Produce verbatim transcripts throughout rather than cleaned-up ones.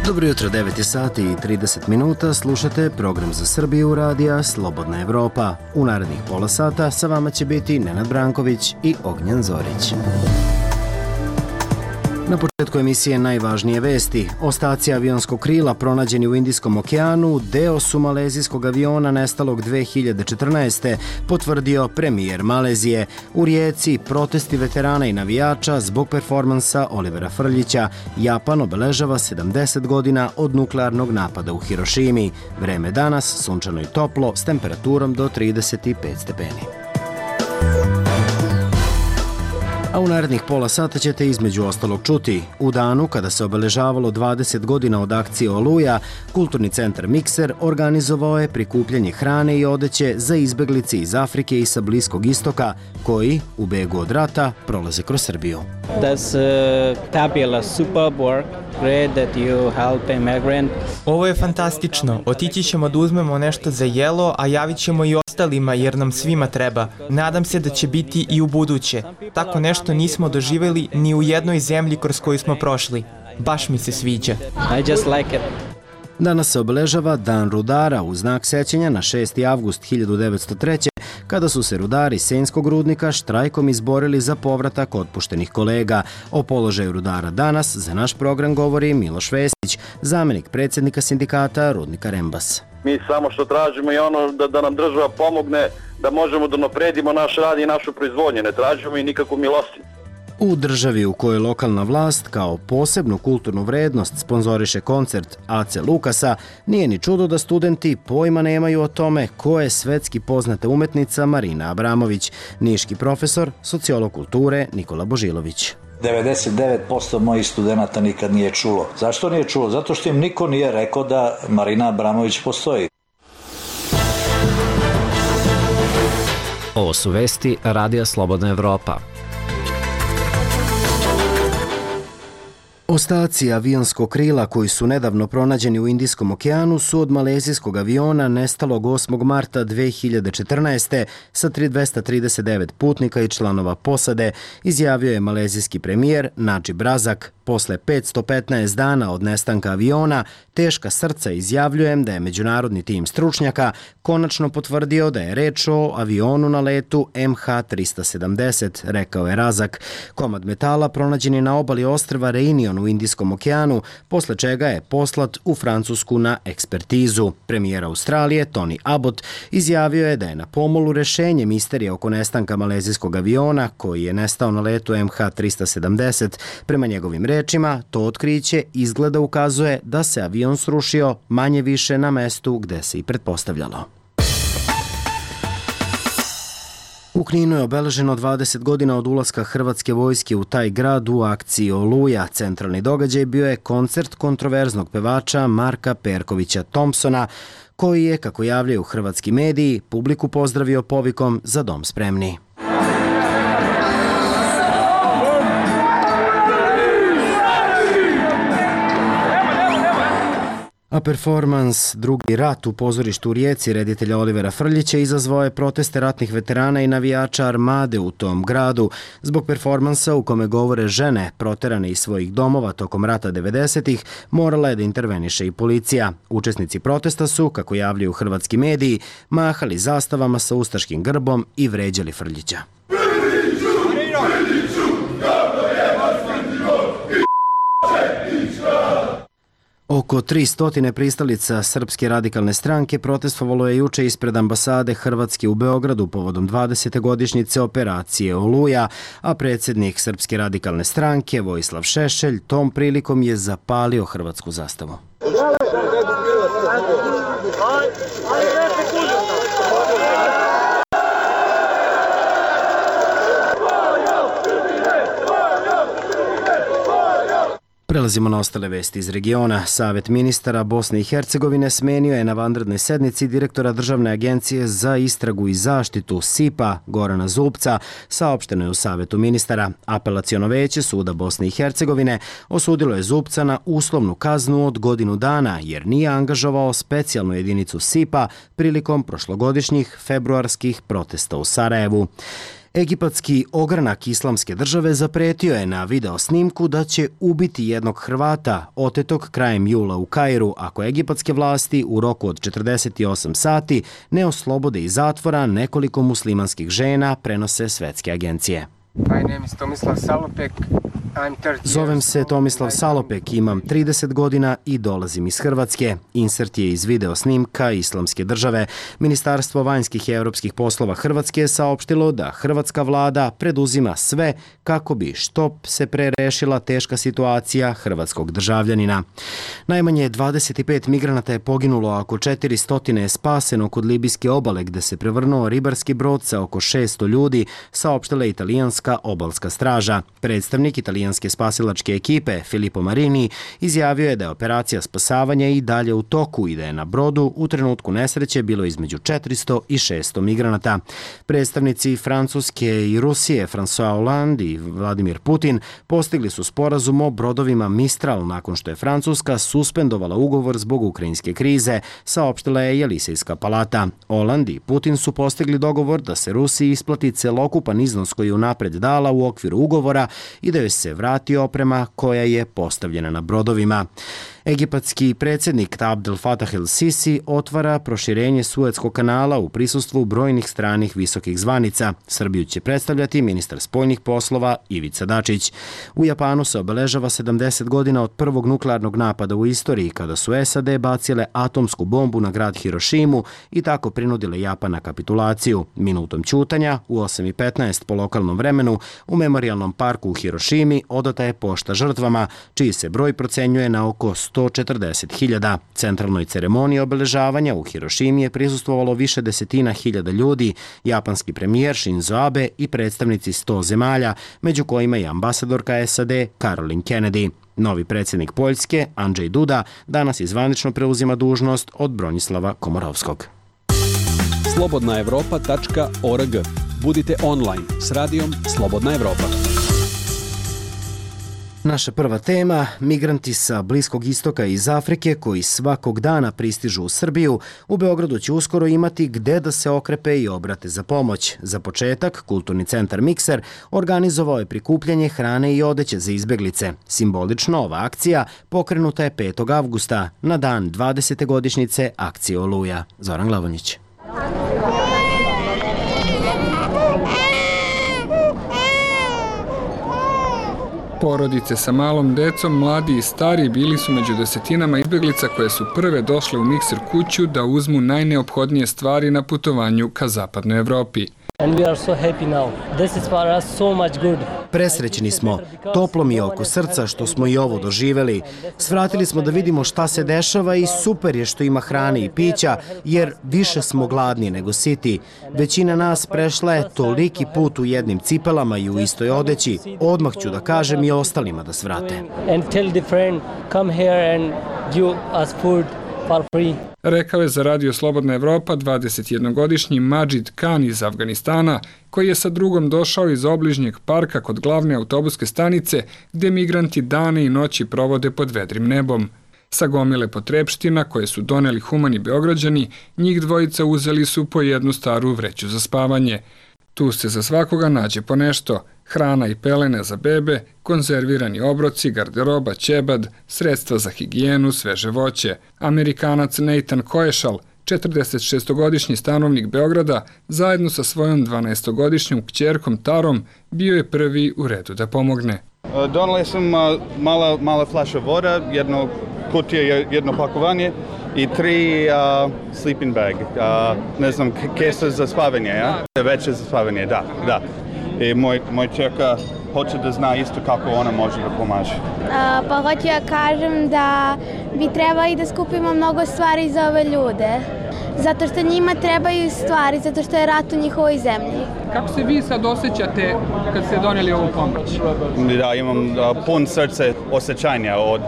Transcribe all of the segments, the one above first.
Dobro jutro, devet je sati i trideset minuta, slušate program za Srbiju radija Slobodna Evropa. U narednih pola sata sa vama će biti Nenad Branković i Ognjan Zorić. Na početku emisije najvažnije vesti. Ostaci avionskog krila pronađeni u Indijskom okeanu deo su malezijskog aviona nestalog dve hiljade četrnaeste. potvrdio premijer Malezije. U Rijeci protesti veterana i navijača zbog performansa Olivera Frljića. Japan obeležava sedamdeset godina od nuklearnog napada u Hirošimi. Vreme danas sunčano i toplo s temperaturom do trideset pet stepeni. A u narednih pola sata ćete između ostalog čuti. U danu kada se obeležavalo dvadeset godina od akcije Oluja, Kulturni centar Mikser organizovao je prikupljanje hrane i odeće za izbeglice iz Afrike i sa Bliskog istoka, koji, u begu od rata, prolaze kroz Srbiju. That's uh, fabulous, superb work. Great that you help immigrant. Ovo je fantastično. Otići ćemo da uzmemo nešto za jelo, a javit ćemo i ostalima jer nam svima treba. Nadam se da će biti i u buduće. Tako nešto nismo doživjeli ni u jednoj zemlji kroz koju smo prošli. Baš mi se sviđa. I just like it. Danas se obeležava Dan rudara u znak sećanja na šesti avgust hiljadu devetsto treće. kada su se rudari Senjskog rudnika štrajkom izborili za povratak otpuštenih kolega. O položaju rudara danas za naš program govori Miloš Vesić, zamenik predsjednika sindikata Rudnika Rembas. Mi samo što tražimo je ono da, da nam država pomogne da možemo da napredimo naš rad i našu proizvodnju. Ne tražimo i nikakvu milostinju. U državi u kojoj lokalna vlast kao posebnu kulturnu vrednost sponzoriše koncert A C Lukasa, nije ni čudo da studenti pojma nemaju o tome ko je svetski poznata umetnica Marina Abramović. Niški profesor, sociolog kulture Nikola Božilović. devedeset devet posto mojih studenata nikad nije čulo. Zašto nije čulo? Zato što im niko nije rekao da Marina Abramović postoji. Ovo su vesti Radija Slobodna Evropa. Ostaci avionskog krila koji su nedavno pronađeni u Indijskom okeanu su od malezijskog aviona nestalog osmog marta dve hiljade četrnaeste. sa dvesta trideset devet putnika i članova posade, izjavio je malezijski premijer Nadžib Razak. Posle petsto petnaest dana od nestanka aviona, teška srca izjavljujem da je međunarodni tim stručnjaka konačno potvrdio da je reč o avionu na letu M H trista sedamdeset, rekao je Razak. Komad metala pronađen je na obali ostrva Reunion u Indijskom okeanu, posle čega je poslat u Francusku na ekspertizu. Premijer Australije Tony Abbott izjavio je da je na pomolu rešenje misterije oko nestanka malezijskog aviona koji je nestao na letu M H trista sedamdeset. Prema njegovim rečima, to otkriće izgleda ukazuje da se avion srušio manje više na mestu gde se i pretpostavljalo. U Kninu je obeleženo dvadeset godina od ulaska hrvatske vojske u taj grad u akciji Oluja. Centralni događaj bio je koncert kontroverznog pevača Marka Perkovića Thompsona, koji je, kako javljaju hrvatski mediji, publiku pozdravio povikom "Za dom spremni". A performans Drugi rat u pozorištu u Rijeci reditelja Olivera Frljića izazvao je proteste ratnih veterana i navijača Armade u tom gradu. Zbog performansa u kome govore žene proterane iz svojih domova tokom rata devedesetih, morala je da interveniše i policija. Učesnici protesta su, kako javljaju hrvatski mediji, mahali zastavama sa ustaškim grbom i vređali Frljića. Oko tristo pristalica Srpske radikalne stranke protestovalo je juče ispred ambasade Hrvatske u Beogradu povodom dvadesete godišnjice operacije Oluja, a predsjednik Srpske radikalne stranke Vojislav Šešelj tom prilikom je zapalio hrvatsku zastavu. Prelazimo na ostale vesti iz regiona. Savet ministara Bosne i Hercegovine smenio je na vanrednoj sednici direktora Državne agencije za istragu i zaštitu S I P-a Gorana Zubca, saopšteno je u Savetu ministara. Apelaciono veće Suda Bosne i Hercegovine osudilo je Zubca na uslovnu kaznu od godinu dana jer nije angažovao specijalnu jedinicu S I P-a prilikom prošlogodišnjih februarskih protesta u Sarajevu. Egipatski ogranak Islamske države zapretio je na video snimku da će ubiti jednog Hrvata otetog krajem jula u Kairu ako egipatske vlasti u roku od četrdeset osam sati ne oslobode iz zatvora nekoliko muslimanskih žena, prenose svetske agencije. My name is Tomislav Salopek. Zovem se Tomislav Salopek, imam trideset godina i dolazim iz Hrvatske. Insert je iz video snimka Islamske države. Ministarstvo vanjskih i europskih poslova Hrvatske je saopštilo da hrvatska vlada preduzima sve kako bi što se pre rešila teška situacija hrvatskog državljanina. Najmanje dvadeset pet migranata je poginulo, a oko četiristo je spaseno kod libijske obale gde se prevrnuo ribarski brod sa oko šesto ljudi, saopštila italijanska obalska straža. Predstavnik italijanske spasilačke ekipe Filippo Marini izjavio je da je operacija spasavanja i dalje u toku i da je na brodu u trenutku nesreće bilo između četiristo i šesto migranata. Predstavnici Francuske i Rusije François Hollande i Vladimir Putin postigli su sporazum o brodovima Mistral nakon što je Francuska suspendovala ugovor zbog ukrajinske krize, saopštila je Jelisejska palata. Hollande i Putin su postigli dogovor da se Rusiji isplati celokupan iznos koji je unapred dala u okviru ugovora i da joj se vrati oprema koja je postavljena na brodovima. Egipatski predsjednik Abdel Fattah el-Sisi otvara proširenje Suetskog kanala u prisustvu brojnih stranih visokih zvanica. Srbiju će predstavljati ministar spoljnih poslova Ivica Dačić. U Japanu se obeležava sedamdeset godina od prvog nuklearnog napada u istoriji kada su S A D bacile atomsku bombu na grad Hirošimu i tako prinudile Japan na kapitulaciju. Minutom ćutanja u osam i petnaest po lokalnom vremenu u memorijalnom parku u Hirošimi odata je pošta žrtvama, čiji se broj procenjuje na oko sto četrdeset hiljada. Centralnoj ceremoniji obeležavanja u Hirošimi je prisustvovalo više desetina hiljada ljudi, japanski premijer Shinzo Abe i predstavnici sto zemalja, među kojima i ambasadorka S A D Caroline Kennedy. Novi predsjednik Poljske, Andrzej Duda, danas izvanično preuzima dužnost od Bronislava Komorovskog. slobodna evropa tačka org. Budite online s radijom Slobodna Evropa. Naša prva tema, migranti sa Bliskog istoka i iz Afrike koji svakog dana pristižu u Srbiju, u Beogradu će uskoro imati gde da se okrepe i obrate za pomoć. Za početak, Kulturni centar Mikser organizovao je prikupljanje hrane i odeće za izbeglice. Simbolično ova akcija pokrenuta je petog avgusta, na dan dvadesete godišnjice akcije Oluja. Zoran Glavonjić. Porodice sa malom decom, mladi i stari bili su među desetinama izbeglica koje su prve došle u Mikser kuću da uzmu najneophodnije stvari na putovanju ka zapadnoj Evropi. And we are so happy now. This is for us so much good. Presrećni smo, toplo mi je oko srca što smo i ovo doživeli. Svratili smo da vidimo šta se dešava i super je što ima hrane i pića, jer više smo gladni nego siti. Većina nas prešla je toliki put u jednim cipelama i u istoj odeći. Odmah ću da kažem i ostalima da svrate. And tell the friend, come here and give us food for free. Rekao je za Radio Slobodna Evropa dvadesetjednogodišnji Majid Khan iz Afganistana, koji je sa drugom došao iz obližnjeg parka kod glavne autobuske stanice, gde migranti dane i noći provode pod vedrim nebom. Sa gomile potrepština koje su doneli humani Beograđani, njih dvojica uzeli su po jednu staru vreću za spavanje. Tu se za svakoga nađe po nešto, hrana i pelene za bebe, konzervirani obroci, garderoba, ćebad, sredstva za higijenu, sveže voće. Amerikanac Nathan Koešal, četrdesetšestogodišnji stanovnik Beograda, zajedno sa svojom dvanaestogodišnjom kćerkom Tarom, bio je prvi u redu da pomogne. Donali sam mala, mala flaša voda, jedno kutije, jedno pakovanje i tri uh, sleeping bag, uh, ne znam, kesa za spavanje, ja? Veće za spavanje, da, da. I moj, moj čerka hoće da zna isto kako ona može da pomaže. Uh, pa hoću ja kažem da bi trebali da skupimo mnogo stvari za ove ljude. Zato što njima trebaju stvari, zato što je rat u njihovoj zemlji. Kako se vi sad osjećate kad ste donijeli ovu pomoć? Da, imam uh, pun srce. osjećanja od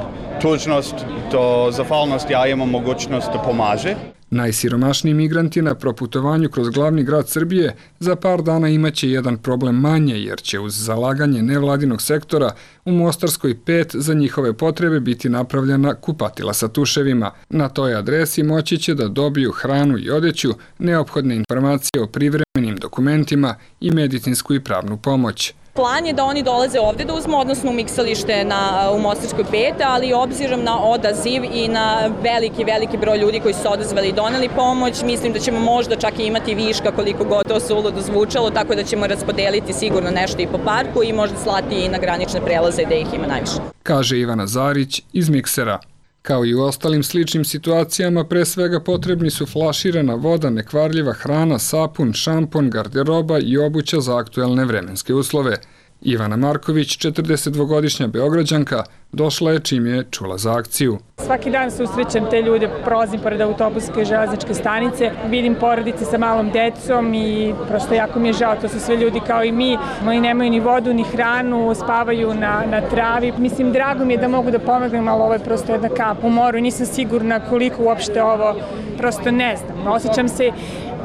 tužnost do zahvalnosti, a imamo mogućnost da pomaže. Najsiromašniji migranti na proputovanju kroz glavni grad Srbije za par dana imaće jedan problem manje, jer će uz zalaganje nevladinog sektora u Mostarskoj pet za njihove potrebe biti napravljena kupatila sa tuševima. Na toj adresi moći će da dobiju hranu i odeću, neophodne informacije o privremenim dokumentima i medicinsku i pravnu pomoć. Plan je da oni dolaze ovde da uzmu, odnosno u miksalište na, u Mostarskoj pet, ali obzirom na odaziv i na veliki, veliki broj ljudi koji su se odazvali i doneli pomoć, mislim da ćemo možda čak i imati viška koliko god to suludo zvučalo, tako da ćemo raspodeliti sigurno nešto i po parku i možda slati i na granične prelaze gde ih ima najviše. Kaže Ivana Zarić iz Miksera. Kao i u ostalim sličnim situacijama, pre svega potrebni su flaširana voda, nekvarljiva hrana, sapun, šampon, garderoba i obuća za aktuelne vremenske uslove. Ivana Marković, četrdesetdvogodišnja Beograđanka, došla je čim je čula za akciju. Svaki dan susrećem te ljude, prolazim pored autobuske i železničke stanice, vidim porodice sa malom decom i prosto jako mi je žao, to su sve ljudi kao i mi. Oni nemaju ni vodu, ni hranu, spavaju na, na travi. Mislim, drago mi je da mogu da pomognem, ali ovo je prosto jedna kap u moru i nisam sigurna koliko uopšte ovo, prosto ne znam. Osjećam se,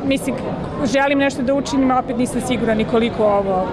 mislim, želim nešto da učinim, a opet nisam sigurna ni koliko ovo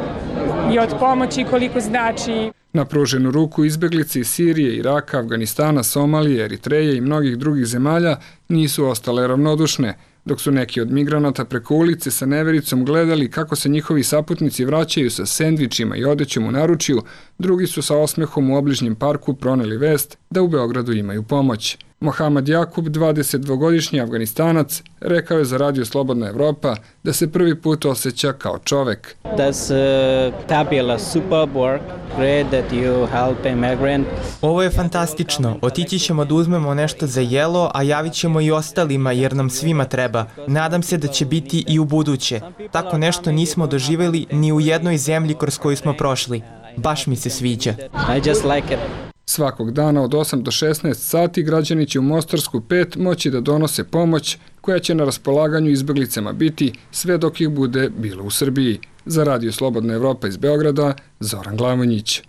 i od pomoći koliko znači. Na pruženu ruku izbeglice iz Sirije, Iraka, Afganistana, Somalije, Eritreje i mnogih drugih zemalja nisu ostale ravnodušne, dok su neki od migranata preko ulice sa nevericom gledali kako se njihovi saputnici vraćaju sa sendvičima i odećom u naručju, drugi su sa osmehom u obližnjem parku proneli vest da u Beogradu imaju pomoć. Mohamed Jakub, dvadesetdvogodišnji Afganistanac, rekao je za Radio Slobodna Evropa da se prvi put osjeća kao čovek. That's uh, fabulous, superb work. Great that you help immigrant. Ovo je fantastično. Otići ćemo da uzmemo nešto za jelo, a javit ćemo i ostalima jer nam svima treba. Nadam se da će biti i u buduće. Tako nešto nismo doživjeli ni u jednoj zemlji kroz koju smo prošli. Baš mi se sviđa. I just like it. Svakog dana od osam do šesnaest sati građani će u Mostarsku pet moći da donose pomoć koja će na raspolaganju izbeglicama biti sve dok ih bude bilo u Srbiji. Za Radio Slobodna Evropa iz Beograda, Zoran Glavonjić.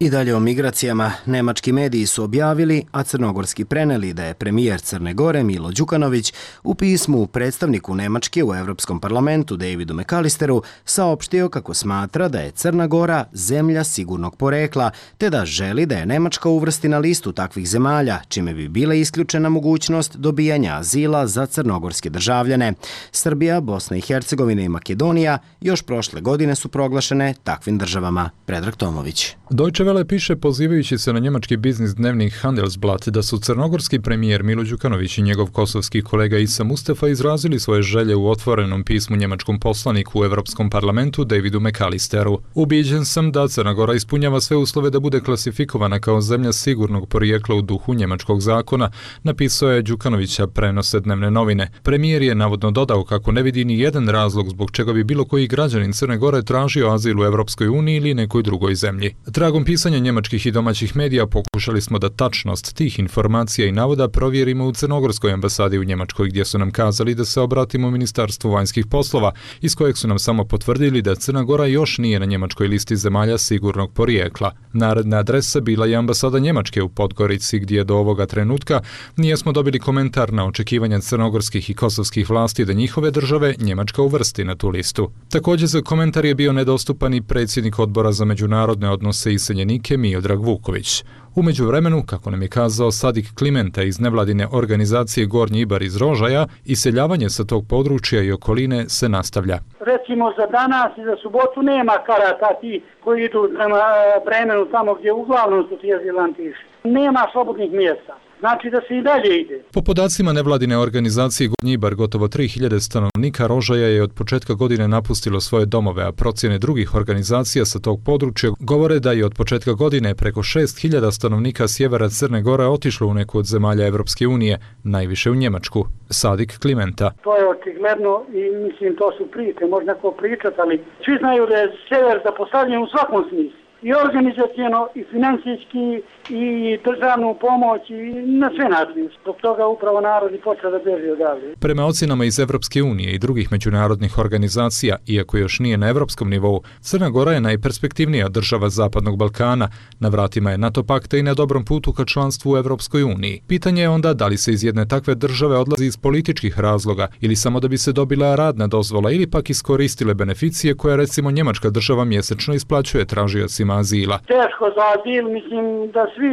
I dalje o migracijama. Nemački mediji su objavili, a crnogorski preneli da je premijer Crne Gore Milo Đukanović u pismu predstavniku Nemačke u Evropskom parlamentu Davidu McAllisteru saopštio kako smatra da je Crna Gora zemlja sigurnog porekla, te da želi da je Nemačka uvrsti na listu takvih zemalja, čime bi bila isključena mogućnost dobijanja azila za crnogorske državljane. Srbija, Bosna i Hercegovina i Makedonija još prošle godine su proglašene takvim državama. Predrag Tomović. Deutsche Welle piše pozivajući se na njemački biznis dnevnik Handelsblatt da su crnogorski premijer Milo Đukanović i njegov kosovski kolega Isa Mustafa izrazili svoje želje u otvorenom pismu njemačkom poslaniku u Evropskom parlamentu Davidu McAllisteru. Ubiđen sam da Crna Gora ispunjava sve uslove da bude klasifikovana kao zemlja sigurnog porijekla u duhu njemačkog zakona, napisao je Đukanovića prenose dnevne novine. Premijer je navodno dodao kako ne vidi ni jedan razlog zbog čega bi bilo koji građanin Crne Gore tražio azil u Evropskoj uniji ili nekoj drugoj zemlji. Tragom pisanja njemačkih i domaćih medija pokušali smo da tačnost tih informacija i navoda provjerimo u Crnogorskoj ambasadi u Njemačkoj, gdje su nam kazali da se obratimo Ministarstvu vanjskih poslova, iz kojeg su nam samo potvrdili da Crna Gora još nije na njemačkoj listi zemalja sigurnog porijekla. Naredna adresa bila je ambasada Njemačke u Podgorici, gdje do ovoga trenutka nijesmo dobili komentar na očekivanja crnogorskih i kosovskih vlasti da njihove države Njemačka uvrsti na tu listu. Također za komentar je bio nedostupan i predsjednik odbora za međunarodne odnose i iseljenike Miodrag Vuković. U međuvremenu, kako nam je kazao Sadik Klimenta iz nevladine organizacije Gornji Ibar iz Rožaja, iseljavanje sa tog područja i okoline se nastavlja. Recimo za danas i za subotu nema karata ti koji idu prema Bremenu tamo gdje uglavnom su ti azilanti išli. Nema slobodnih mjesta. Znači da se i dalje ide. Po podacima nevladine organizacije Gornji Ibar, gotovo tri hiljade stanovnika Rožaja je od početka godine napustilo svoje domove, a procjene drugih organizacija sa tog područja govore da je od početka godine preko šest hiljada stanovnika sjevera Crne Gore otišlo u neku od zemalja Evropske unije, najviše u Njemačku. Sadik Klimenta. To je očigledno i mislim to su priče, možda neko pričat, ali svi znaju da je sjever zapostavljen u svakom smislu. i organizacijeno, i financijski, i državnu pomoć, i na sve načine. Zbog toga upravo narod i počeo da beži odavde. Prema ocenama iz Evropske unije i drugih međunarodnih organizacija, iako još nije na evropskom nivou, Crna Gora je najperspektivnija država Zapadnog Balkana, na vratima je NATO pakta i na dobrom putu ka članstvu u Evropskoj uniji. Pitanje je onda da li se iz jedne takve države odlazi iz političkih razloga ili samo da bi se dobila radna dozvola ili pak iskoristile beneficije koje recimo njemačka država mjesečno isplaćuje tražiocima azila. Teško za azil, mislim da svi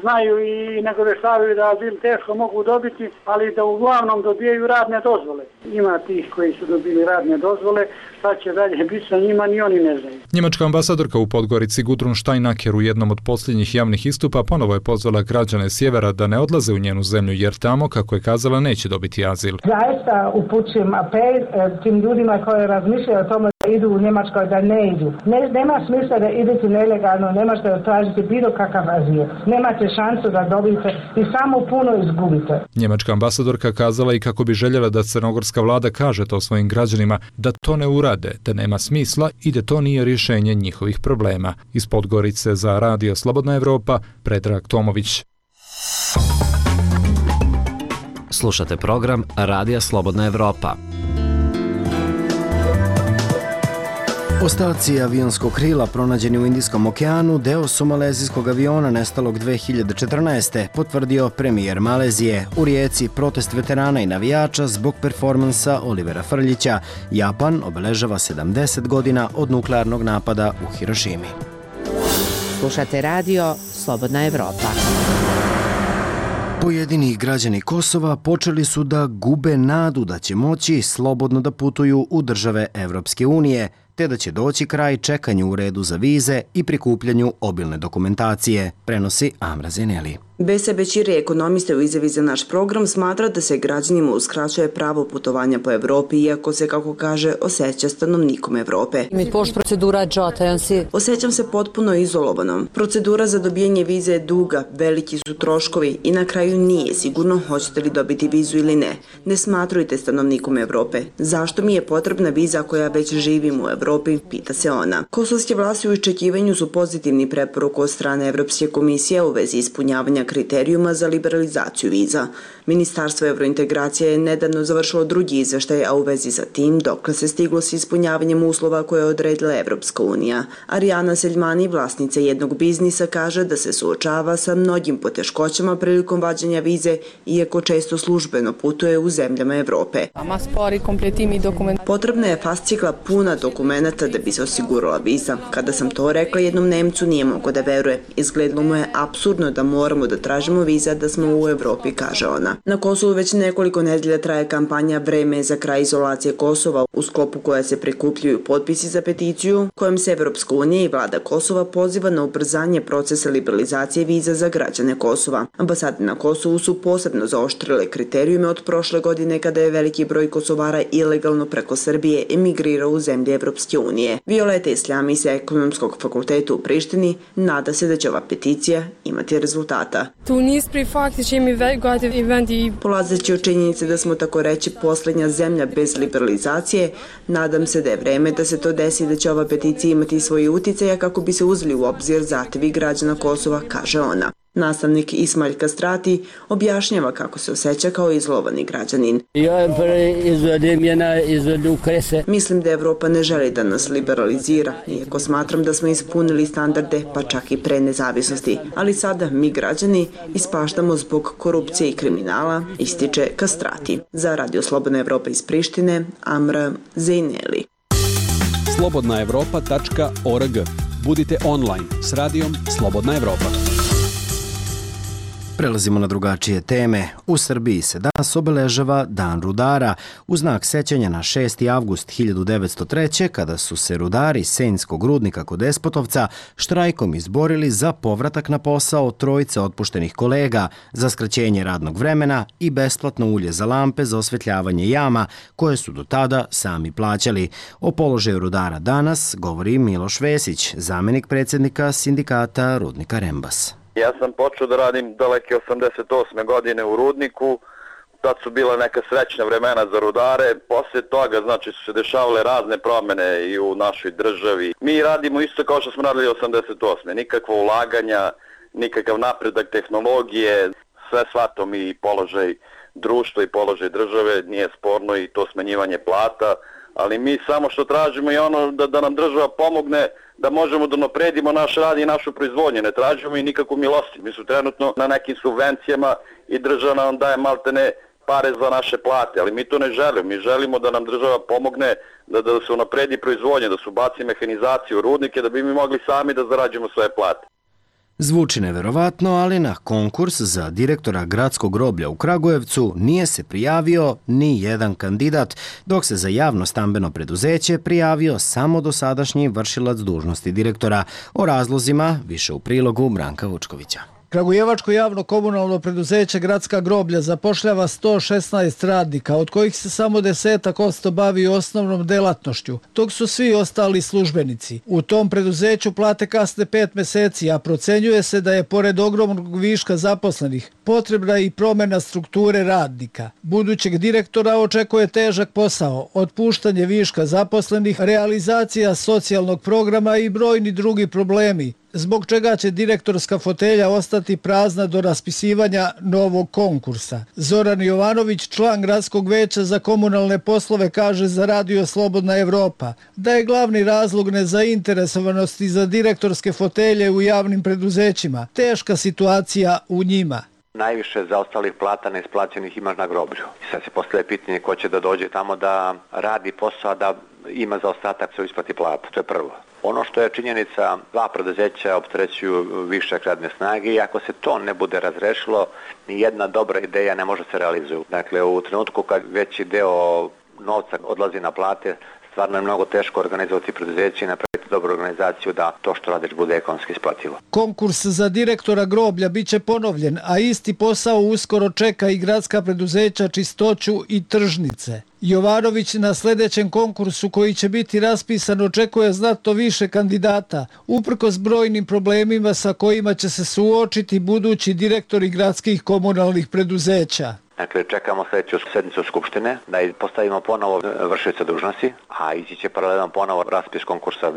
znaju i nagoveštavaju da azil teško mogu dobiti, ali da uglavnom dobijaju radne dozvole. Ima tih koji su dobili radne dozvole, šta će dalje biti sa njima, ni oni ne znaju. Njemačka ambasadorka u Podgorici Gudrun Steinacker u jednom od posljednjih javnih istupa ponovo je pozvala građane sjevera da ne odlaze u njenu zemlju jer tamo, kako je kazala, neće dobiti azil. Zaista upućujem apel tim ljudima koji razmišljaju o tome da idu u Njemačkoj, da ne idu. Ne, nema smisla da idete nelegalno, ne možete tražiti bilo kakav azil. Nemate šansu da dobijete i samo puno izgubite. Njemačka ambasadorka kazala i kako bi željela da crnogorska vlada kaže to svojim građanima da to ne urade, da nema smisla i da to nije rješenje njihovih problema. Iz Podgorice za Radio Slobodna Evropa, Predrag Tomović. Slušate program Radija Slobodna Evropa. Ostaci avionskog krila pronađeni u Indijskom okeanu deo su malezijskog aviona nestalog dve hiljade četrnaeste. potvrdio premijer Malezije. U Rijeci protest veterana i navijača zbog performansa Olivera Frljića. Japan obeležava sedamdeset godina od nuklearnog napada u Hirošimi. Slušate radio Slobodna Evropa. Pojedini građani Kosova počeli su da gube nadu da će moći slobodno da putuju u države Evropske unije, te da će doći kraj čekanju u redu za vize i prikupljanju obilne dokumentacije, prenosi Amra Zeneli. Bese Bećiri, ekonomiste u izjavi za naš program, smatra da se građanima uskraćuje pravo putovanja po Evropi, iako se, kako kaže, osjeća stanovnikom Evrope. Osjećam se potpuno izolovanom. Procedura za dobijanje vize je duga, veliki su troškovi i na kraju nije sigurno hoćete li dobiti vizu ili ne. Ne smatrujte stanovnikom Evrope. Zašto mi je potrebna viza koja već živim u Evropi, pita se ona. Kosovske vlasti u iščekivanju su pozitivni preporuku od strane Evropske komisije u vezi ispunjavanja kriterijuma za liberalizaciju viza. Ministarstvo evrointegracije je nedavno završilo drugi izveštaj, a u vezi sa tim dokle se stiglo s ispunjavanjem uslova koje je odredila Evropska unija. Arijana Seljmani, vlasnica jednog biznisa, kaže da se suočava sa mnogim poteškoćama prilikom vađenja vize, iako često službeno putuje u zemljama Evrope. Potrebna je fascikla puna dokumenata da bi se osigurala viza. Kada sam to rekla jednom Nemcu, nije mogao da veruje. Izgledalo mu je apsurdno da moramo da tražimo viza da smo u Evropi, kaže ona. Na Kosovu već nekoliko nedelja traje kampanja Vreme za kraj izolacije Kosova, u sklopu koja se prikupljaju potpisi za peticiju, kojom se Evropska unija i vlada Kosova poziva na ubrzanje procesa liberalizacije viza za građane Kosova. Ambasade na Kosovu su posebno zaoštrile kriterijume od prošle godine kada je veliki broj Kosovara ilegalno preko Srbije emigrirao u zemlje Evropske unije. Violeta Isljami sa Ekonomskog fakulteta u Prištini nada se da će ova peticija imati rezultata. Polazeći od činjenice da smo tako reći posljednja zemlja bez liberalizacije, nadam se da je vreme da se to desi i da će ova peticija imati svoje uticaje kako bi se uzeli u obzir zahtevi građana Kosova, kaže ona. Nastavnik Ismail Kastrati objašnjava kako se osjeća kao izlovani građanin. Mislim da Evropa ne želi da nas liberalizira, iako smatram da smo ispunili standarde, pa čak i pre nezavisnosti. Ali sada mi građani ispaštamo zbog korupcije i kriminala, ističe Kastrati. Za Radio Slobodna Evropa iz Prištine, Amra Zejneli. slobodna evropa tačka org. Budite online s radijom Slobodna Evropa. Prelazimo na drugačije teme. U Srbiji se danas obeležava Dan rudara u znak sećanja na šesti avgust hiljadu devetsto treće. kada su se rudari Senjskog rudnika kod Despotovca štrajkom izborili za povratak na posao trojice otpuštenih kolega, za skraćenje radnog vremena i besplatno ulje za lampe za osvetljavanje jama koje su do tada sami plaćali. O položaju rudara danas govori Miloš Vesić, zamenik predsjednika sindikata Rudnika Rembas. Ja sam počeo da radim daleke osamdeset osme godine u rudniku, tad su bila neka srećna vremena za rudare, poslije toga znači su se dešavale razne promjene i u našoj državi. Mi radimo isto kao što smo radili osamdeset osme nikakva ulaganja, nikakav napredak tehnologije, sve shvato mi i položaj društva i položaj države, nije sporno i to smanjivanje plata, ali mi samo što tražimo je ono da, da nam država pomogne da možemo da napredimo naš rad i našu proizvodnju. Ne tražimo i nikakvu milosti. Mi su trenutno na nekim subvencijama i država nam daje maltene pare za naše plate, ali mi to ne želimo. Mi želimo da nam država pomogne da, da se unapredi proizvodnja, da se ubaci mehanizaciju, rudnike, da bi mi mogli sami da zarađujemo svoje plate. Zvuči neverovatno, ali na konkurs za direktora gradskog groblja u Kragujevcu nije se prijavio ni jedan kandidat, dok se za javno stambeno preduzeće prijavio samo dosadašnji vršilac dužnosti direktora. O razlozima više u prilogu Branka Vučkovića. Kragujevačko javno komunalno preduzeće Gradska groblja zapošljava sto šesnaest radnika, od kojih se samo desetak posto bavi osnovnom delatnošću, dok su svi ostali službenici. U tom preduzeću plate kasne pet meseci, a procenjuje se da je pored ogromnog viška zaposlenih potrebna i promjena strukture radnika. Budućeg direktora očekuje težak posao, otpuštanje viška zaposlenih, realizacija socijalnog programa i brojni drugi problemi, zbog čega će direktorska fotelja ostati prazna do raspisivanja novog konkursa. Zoran Jovanović, član Gradskog veća za komunalne poslove, kaže za Radio Slobodna Evropa da je glavni razlog nezainteresovanosti za direktorske fotelje u javnim preduzećima teška situacija u njima. Najviše zaostalih plata neisplaćenih imaš na groblju. I sad se postavlja pitanje ko će da dođe tamo da radi posao, da ima zaostatak se isplati plata. To je prvo. Ono što je činjenica, dva preduzeća opterećuju višak radne snage i ako se to ne bude razrešilo, ni jedna dobra ideja ne može se realizuju. Dakle, u trenutku kad veći deo novca odlazi na plate, stvarno je mnogo teško organizovati preduzeće i napraviti dobru organizaciju da to što radiš bude ekonomski isplativo. Konkurs za direktora groblja biće ponovljen, a isti posao uskoro čeka i gradska preduzeća Čistoću i Tržnice. Jovanović na sljedećem konkursu koji će biti raspisan očekuje znatno više kandidata, uprkos brojnim problemima sa kojima će se suočiti budući direktori gradskih komunalnih preduzeća. Dakle, čekamo sljedeću sednicu Skupštine da postavimo ponovo vršioca dužnosti, a ići će paralelno ponovo raspis konkursa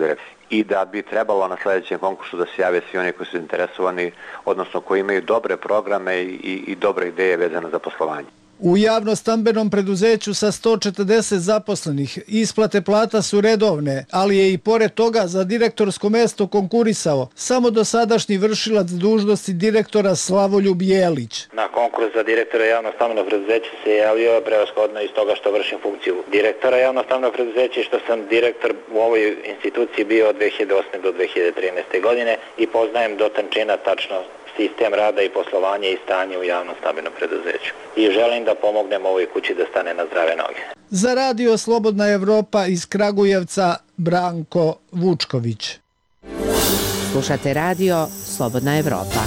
i da bi trebalo na sljedećem konkursu da se jave svi oni koji su interesovani, odnosno koji imaju dobre programe i, i dobre ideje vezane za poslovanje. U javno-stambenom preduzeću sa sto četrdeset zaposlenih isplate plata su redovne, ali je i pored toga za direktorsko mesto konkurisao samo dosadašnji vršilac dužnosti direktora Slavoljub Jelić. Na konkurs za direktora javno-stambenog preduzeća se javio prevashodno iz toga što vršim funkciju direktora javno-stambenog preduzeća i što sam direktor u ovoj instituciji bio od dve hiljade osme do dve hiljade trinaeste. godine i poznajem do tančina tačno sistem rada i poslovanje i stanje u javnom stambenom preduzeću. I želim da pomognem ovoj kući da stane na zdrave noge. Za Radio Slobodna Evropa iz Kragujevca, Branko Vučković. Slušate Radio Slobodna Evropa.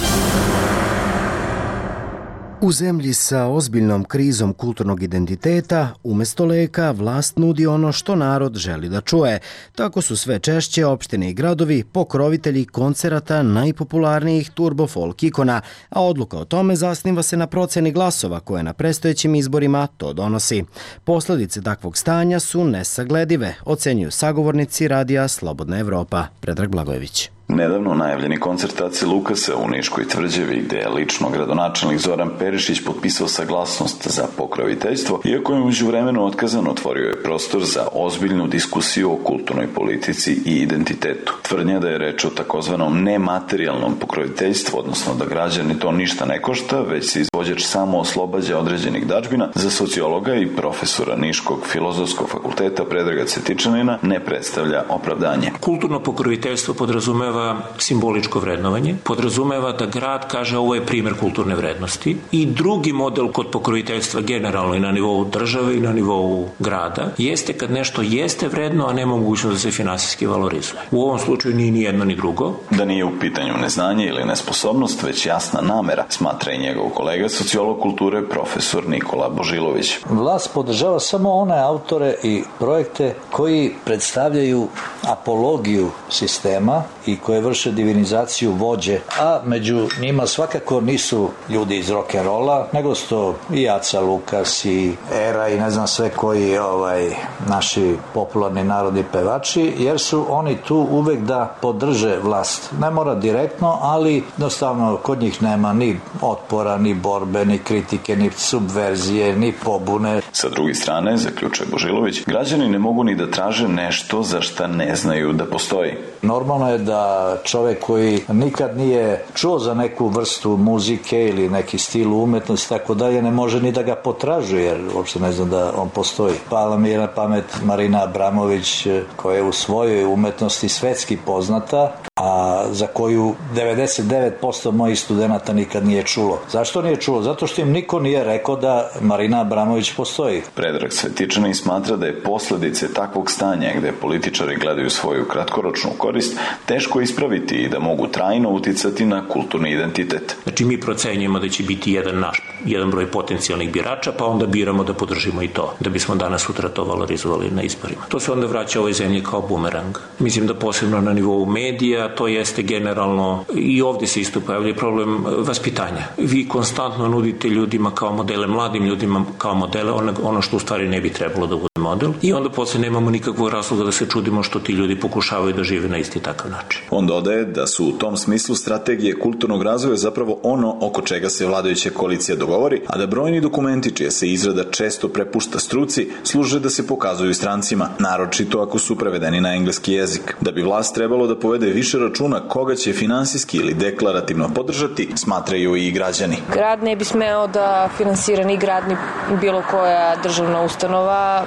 U zemlji sa ozbiljnom krizom kulturnog identiteta, umjesto leka, vlast nudi ono što narod želi da čuje. Tako su sve češće opštine i gradovi pokrovitelji koncerata najpopularnijih turbo folk ikona, a odluka o tome zasniva se na proceni glasova koje na predstojećim izborima to donosi. Posljedice takvog stanja su nesagledive, ocenjuju sagovornici Radija Slobodna Evropa. Predrag Blagojević. Nedavno najavljeni koncert Ace Lukasa u Niškoj tvrđavi, gde je lično gradonačelnik Zoran Perišić potpisao saglasnost za pokroviteljstvo, iako je međuvremeno otkazan, otvorio je prostor za ozbiljnu diskusiju o kulturnoj politici i identitetu. Tvrdnja da je reč o takozvanom nematerijalnom pokroviteljstvu, odnosno da građani to ništa ne košta, već se izvođač samo oslobađa određenih dažbina, za sociologa i profesora Niškog filozofskog fakulteta Predraga Cvetičanina ne predstavlja opravdanje. Kulturno pokroviteljstvo podrazumeva simboličko vrednovanje, podrazumeva da grad kaže ovo je primjer kulturne vrednosti i drugi model kod pokroviteljstva generalno i na nivou države i na nivou grada jeste kad nešto jeste vredno, a nema mogućnost da se finansijski valorizuje. U ovom slučaju nije ni jedno ni drugo. Da nije u pitanju neznanje ili nesposobnost, već jasna namera, smatra i njegov kolega sociolog kulture profesor Nikola Božilović. Vlast podržava samo one autore i projekte koji predstavljaju apologiju sistema i koje vrše divinizaciju vođe, a među njima svakako nisu ljudi iz rock'n'rolla, nego su to i Aca Lukas i Era i ne znam sve koji ovaj, naši popularni narodni pevači, jer su oni tu uvek da podrže vlast. Ne mora direktno, ali jednostavno kod njih nema ni otpora, ni borbe, ni kritike, ni subverzije, ni pobune. Sa druge strane, zaključuje Božilović, građani ne mogu ni da traže nešto za šta ne znaju da postoji. Normalno je da čovek koji nikad nije čuo za neku vrstu muzike ili neki stil umetnosti tako dalje, ne može ni da ga potražuje, jer uopšte ne znam da on postoji. Pala mi je na pamet Marina Abramović, koja je u svojoj umetnosti svetski poznata, a za koju devedeset devet posto mojih studenata nikad nije čulo. Zašto nije čulo? Zato što im niko nije rekao da Marina Abramović postoji. Predrag Svetičanin smatra da je posledice takvog stanja gde političari gledaju svoju kratkoročnu korist teško ispraviti i da mogu trajno uticati na kulturni identitet. Znači mi procenjujemo da će biti jedan naš, jedan broj potencijalnih birača, pa onda biramo da podržimo i to, da bismo danas sutra to valorizovali na izborima. To se onda vraća ovoj zemlji kao bumerang. Mislim da posebno na nivou medija to jeste generalno i ovdje se isto pojavlja problem vaspitanja. Vi konstantno nudite ljudima kao modele, mladim ljudima kao modele, ono, ono što u stvari ne bi trebalo da bude model i onda posle nemamo nikakvog razloga da se čudimo što ti ljudi pokušavaju da žive na isti takav način. On dodaje da su u tom smislu strategije kulturnog razvoja zapravo ono oko čega se vladajuća koalicija dogovori, a da brojni dokumenti čija se izrada često prepušta struci služe da se pokazuju strancima, naročito ako su prevedeni na engleski jezik. Da bi vlast trebalo da povede više računa koga će finansijski ili deklarativno podržati, smatraju i građani. Grad ne bi smeo da finansira ni grad ni bilo koja državna ustanova,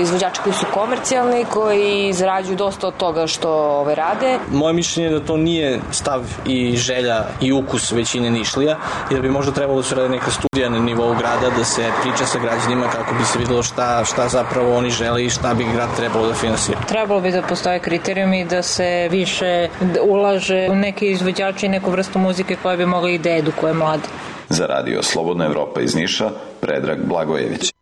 izvođači koji su komercijalni, koji zarađuju dosta od toga što ove rade. Moje mišljenje je da to nije stav i želja i ukus većine Nišlija, jer bi možda trebalo da se radi neka studija na nivou grada, da se priča sa građanima kako bi se videlo šta, šta zapravo oni žele i šta bi grad trebalo da finansira. Trebalo bi da postoje kriterijumi da se više ulaže u neke izvođače i neku vrstu muzike koja bi mogla i da edukuje mlade. Za Radio Slobodna Evropa iz Niša, Predrag Blagojević.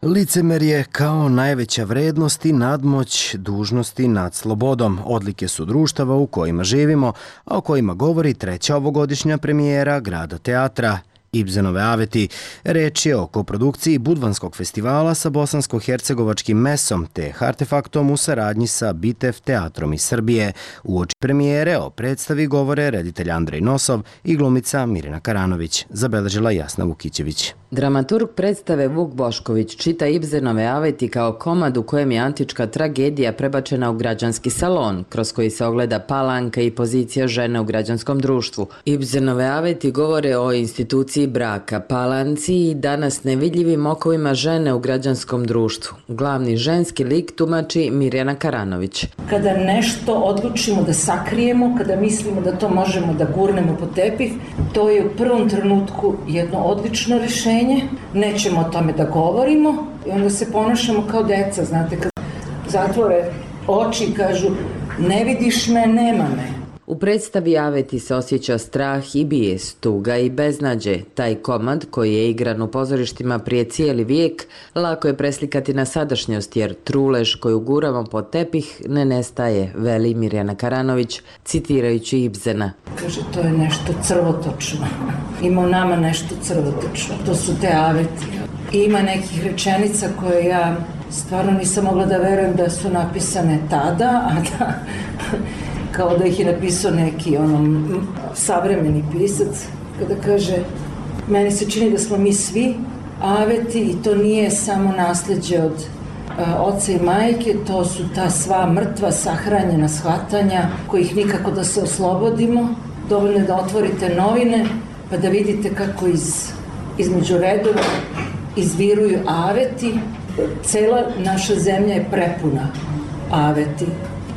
Licemerje kao najveća vrednost i nadmoć dužnosti nad slobodom. Odlike su društava u kojima živimo, a o kojima govori treća ovogodišnja premijera Grada teatra. Ibzenove aveti. Reč je o koprodukciji Budvanskog festivala sa bosansko-hercegovačkim mesom te Artefaktom u saradnji sa Bitev teatrom iz Srbije. Uoči premijere o predstavi govore reditelj Andrej Nosov i glumica Mirjana Karanović, zabeležila Jasna Vukićević. Dramaturg predstave Vuk Bošković čita Ibzenove aveti kao komad u kojem je antička tragedija prebačena u građanski salon, kroz koji se ogleda palanka i pozicija žene u građanskom društvu. Ibzenove aveti govore o instituciji braka, palanci i danas nevidljivim okovima žene u građanskom društvu. Glavni ženski lik tumači Mirjana Karanović. Kada nešto odlučimo da sakrijemo, kada mislimo da to možemo da gurnemo pod tepih, to je u prvom trenutku jedno odlično rešenje. Nećemo o tome da govorimo i onda se ponašamo kao deca, znate, kad zatvore oči i kažu ne vidiš me, nema me. U predstavi aveti se osjeća strah i bijes, tuga i beznađe. Taj komad, koji je igran u pozorištima prije cijeli vijek, lako je preslikati na sadašnjost, jer trulež koju guramo pod tepih ne nestaje, veli Mirjana Karanović, citirajući Ibzena. Kaže, to je nešto crvotočno. Ima u nama nešto crvotočno. To su te aveti. I ima nekih rečenica koje ja stvarno nisam mogla da verujem da su napisane tada, a da... kao da ih je napisao neki onom savremeni pisac, kada kaže, meni se čini da smo mi svi aveti i to nije samo nasleđe od a, oca i majke, to su ta sva mrtva, sahranjena shvatanja, kojih nikako da se oslobodimo. Dovoljno je da otvorite novine, pa da vidite kako iz, između redova izviruju aveti. Cela naša zemlja je prepuna aveti.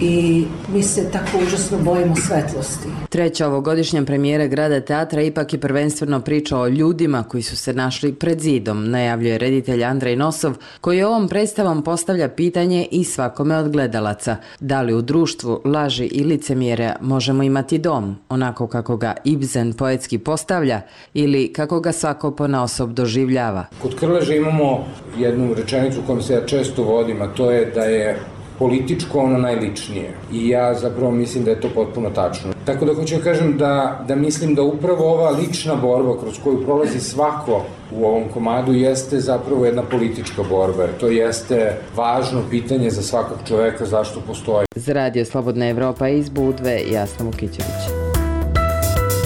I mi se tako užasno bojimo svetlosti. Treća ovogodišnja premijera Grada teatra ipak je prvenstveno priča o ljudima koji su se našli pred zidom, najavljuje reditelj Andrej Nosov, koji ovom predstavom postavlja pitanje i svakome od gledalaca. Da li u društvu laži i licemjerja možemo imati dom, onako kako ga Ibzen poetski postavlja ili kako ga svako ponaosob doživljava? Kod Krleže imamo jednu rečenicu kojom se ja često vodim, a to je da je političko ono najličnije. I ja zapravo mislim da je to potpuno tačno. Tako da hoću da kažem da, da mislim da upravo ova lična borba kroz koju prolazi svako u ovom komadu jeste zapravo jedna politička borba. To jeste važno pitanje za svakog čoveka zašto postoji. Za Radio Slobodna Evropa iz Budve, Jasna Vukićević.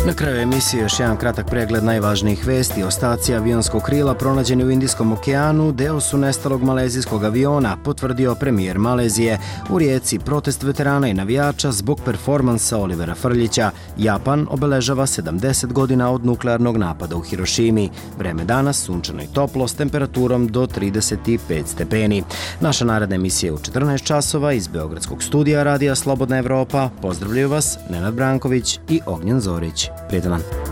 Na kraju emisije još jedan kratak pregled najvažnijih vesti. Ostaci avionskog krila pronađeni u Indijskom okeanu deo su nestalog malezijskog aviona, potvrdio premijer Malezije. U Rijeci protest veterana i navijača zbog performansa Olivera Frljića. Japan obeležava sedamdeset godina od nuklearnog napada u Hirošimi. Vreme danas sunčano i toplo s temperaturom do trideset pet stepeni. Naša naredna emisija je u četrnaest časova iz Beogradskog studija Radija Slobodna Evropa. Pozdravljaju vas Nenad Branković i Ognjen Zorić. Prijetan dan.